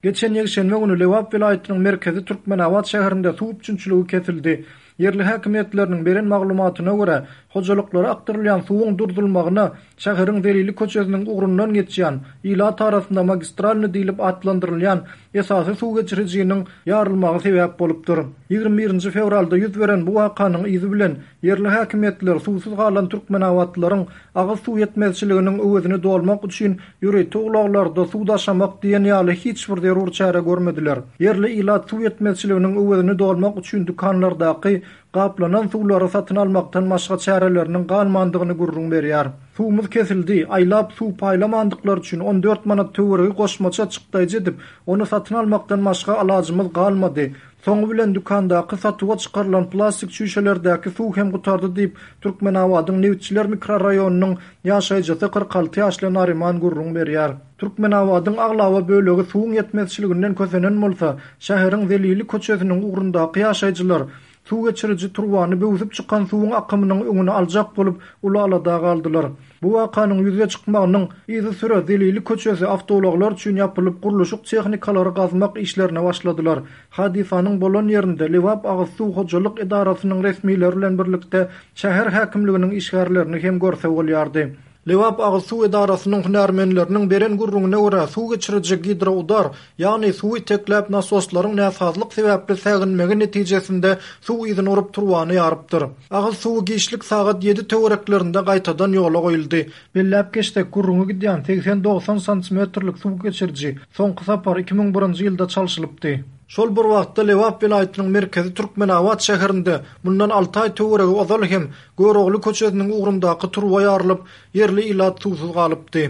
Geçen ýekşenbe güni Lebap welaýatynyň merkezi Türkmenabat şäherinde suw üpjünçiligi kesildi. Ýerli häkimiýetleriniň beren maglumatyna görä, hojalyklara akdyrylýan suwuň durdulmagyna şäheriň Zelili köçesiniň ugrundan geçýän, ilat arasynda magistralnyý diýlip atlandyrylýan esasy suw geçirijiniň ýarylmagy sebäp bolupdyr. 21-nji fewralda ýüz beren bu wakanyň yzy bilen ýerli häkimiýetler suwsuz galan türkmenabatlylaryň agyz suw ýetmezçiliginiň öwezini dolmak üçin ýörite ulaglarda suw daşamak diýen ýaly hiç bir zerur çäre görmediler. Ýerli ilat suw ýetmezçiliginiň öwezini dolmak üçin dükanlardaky gaplanan suwlary satyn almakdan başga çäreleriniň galmandygyny gürrüň berýär. Suwumyz kesildi, aýlap suw paýlamandyklary üçin 14 manat töweregi goşmaça çykdaýjy edip, ony satyn almakdan başga alajymyz galmady. Soňy bilen dükandaky satuwa çykarylan plastik çüýşelerdäki suw hem gutardy diýip, Türkmenabadyň Nebitçiler mikroraýonynyň ýaşaýjysy 46 ýaşly Naryman gürrüň berýär. Türkmenabadyň aglaba bölegi suwuň ýetmezçiliginden kösenen bolsa, şäheriň Zelili köçesiniň ugrundaky ýaşaýjylar suw geçiriji turbany böwsüp çykan suwuň akymynyň öňüni aljak bolup uly alada galdylar. Bu wakanyň ýüze çykmagynyň yzysüre Zelili köçesi awtoulaglar üçin ýapylyp, gurluşyk tehnikalary gazmak işlerine başladylar. Hadysanyň bolan ýerinde Lebap agyzsuw hojalyk edarasynyň resmileri bilen birlikde şäher häkimliginiň işgärlerini hem görse bolýardy. Lebap agyzsuw edarasynyň hünärmenleriniň beren gürrüňine görä, suw geçiriji gidroudar, ýagny suwy itekläp nasoslaryň näsazlyk sebäpli säginmegi netijesinde suw yzyny urup turbany ýarypdyr. Agyz suwy giçlik sagat ýedi töwereklerinde gaýtadan ýola goýuldy. Belläp geçsek, gürrüňi gidýän segsen-dogsan santimetrlik suw geçiriji soňky sapar 2001-nji ýylda çalşylypdy. Şol bir wagtda Lebap welaýatynyň merkezi Türkmenabat şäherinde mundan alty aý töweregi ozal hem Görogly köçesiniň ugrundaky turba ýarylyp, ýerli ilat suwsuz galypdy.